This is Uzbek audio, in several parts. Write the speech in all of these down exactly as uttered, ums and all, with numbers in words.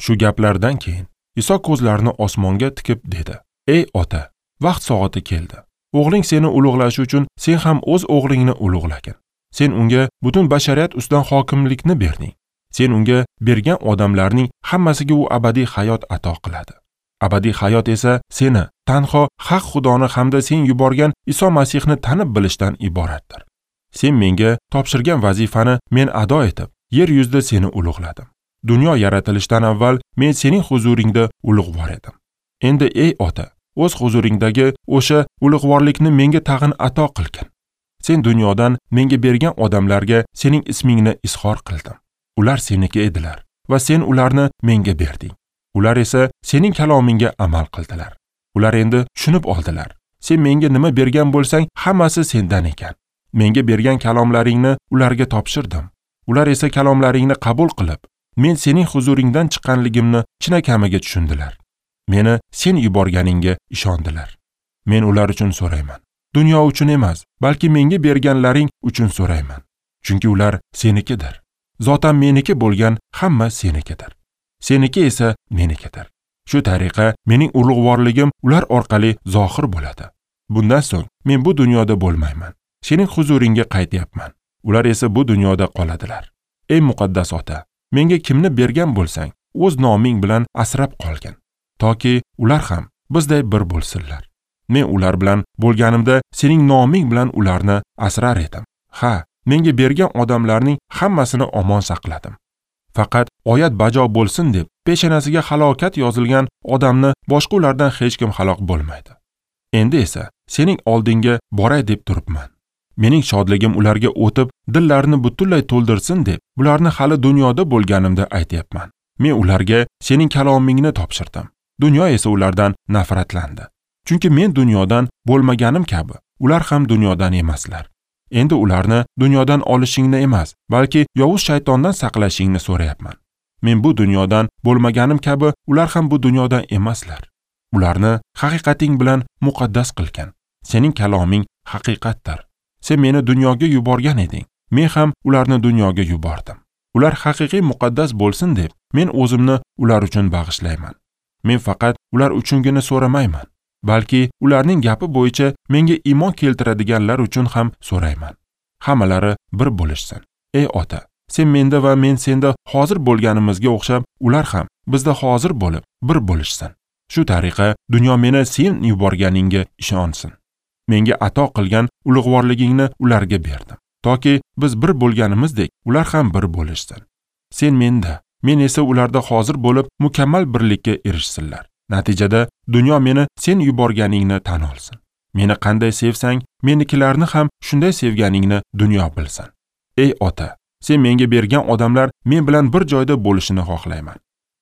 Shu gaplardan keyin Iso ko'zlarini osmonga tikib dedi: "Ey ota, vaqt soati keldi. O'g'ling seni ulug'lashi uchun sen ham o'z o'g'lingni ulug'lagin. Sen unga butun bashariyat ustidan hokimlikni berding. Sen unga bergan odamlarning hammasiga u abadiy hayot ato qiladi. Abadiy hayot esa seni, tanho haq Xudoni hamda sen yuborgan Iso Masihni tanib bilishdan iboratdir. Sen menga topshirgan vazifani men ado etib, yer yuzida seni ulug'ladim. Dunyo yaratilishidan avval men sening huzuringda ulug'vor edim. Endi ey ota, o'z huzuringdagi o'sha ulug'vorlikni menga tag'in ato qilgin. Sen dunyodan menga bergan odamlarga sening ismingni izhor qildim. Ular seniki edilar va sen ularni menga berding. Ular esa sening kalomingga amal qildilar. Ular endi tushunib oldilar. Sen menga nima bergan bo'lsang, hammasi sendan ekan. Menga bergan kalomlaringni ularga topshirdim. Ular esa kalomlaringni qabul qilib, men sening huzuringdan chiqqanligimni chinakamiga tushundilar. Meni sen yuborganingga ishondilar. Men ular uchun so'rayman. Dunyo uchun emas, balki menga berganlaring uchun so'rayman. Chunki ular senikidir. Zotan meniki bo'lgan hamma senikidir. Seniki esa menikidir. Shu tariqa mening ulug'vorligim ular orqali zohir bo'ladi. Bundan so'ng men bu dunyoda bo'lmayman. Sening huzuringga qaytyapman. Ular esa bu dunyoda qoladilar. Ey muqaddas ota, menga kimni bergan bo'lsang, o'z noming bilan asrab qolgin, toki ular ham bizday bir bo'lsinlar. Men ular bilan bo'lganimda sening noming bilan ularni asrar edim. Ha, menga bergan odamlarning hammasini omon saqladim. Faqat oyat bajo bo'lsin deb peshonasiga halokat yozilgan odamni boshqa ulardan hech kim halok bo'lmaydi. Endi esa sening oldingga boray deb turibman. Mening shodligim ularga o'tib, dillarini butunlay to'ldirsin deb bularni hali dunyoda bo'lganimda aytyapman. Men ularga sening kalomingni topshirdim. Dunyo esa ulardan nafratlandi. Chunki men dunyodan bo'lmaganim kabi, ular ham dunyodan emaslar. Endi ularni dunyodan olishingni emas, balki yovuz shaytondan saqlashingni so'rayapman. Men bu dunyodan bo'lmaganim kabi, ular ham bu dunyodan emaslar. Ularni haqiqating bilan muqaddas qilgin. Sening kaloming haqiqatdir. Sen meni dunyoga yuborgan eding. Men ham ularni dunyoga yubordim. Ular haqiqiy muqaddas bo'lsin deb men o'zimni ular uchun bag'ishlayman. Men faqat ular uchungina so'ramayman, balki ularning gapi bo'yicha menga iymon keltiradiganlar uchun ham so'rayman. Hammalari bir bo'lishsin. Ey ota, sen menda va men senda hozir bo'lganimizga o'xshab, ular ham bizda hozir bo'lib bir bo'lishsin. Shu tariqa dunyo meni sen yuborganingga ishonsin. Menga ato qilgan ulug'vorligingni ularga berdim, toki biz bir bo'lganimizdek ular ham bir bo'lishsin. Sen menda, men esa ularda hozir bo'lib mukammal birlikka erishsinlar. Natijada dunyo meni sen yuborganingni tan olsin. Meni qanday sevsang, menikilarni ham shunday sevganingni dunyo bilsin. Ey ota, sen menga bergan odamlar men bilan bir joyda bo'lishini xohlayman.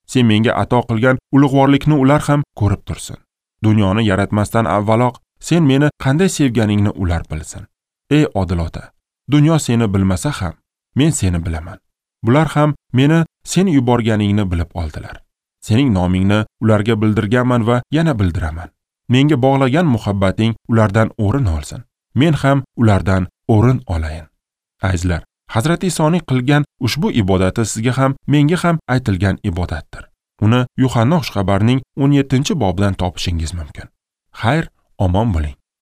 Sen menga ato qilgan ulug'vorlikni ular ham ko'rib tursin. Dunyoni yaratmasdan avvaloq sen meni qanday sevganingni ular bilsin. Ey odil ota, dunyo seni bilmasa ham, men seni bilaman. Bular ham meni sen yuborganingni bilib oldilar. Sening nomingni ularga bildirganman va yana bildiraman. Menga bog'lagan muhabbating ulardan o'rin olsin. Men ham ulardan o'rin olayin. Azizlar, Hazrati Isoning qilgan ushbu ibodati sizga ham, menga ham aytilgan ibodatdir. Uni Yuhanna xushxabarining o'n yettinchi bobidan topishingiz mumkin. Xayr, omon bo'ling.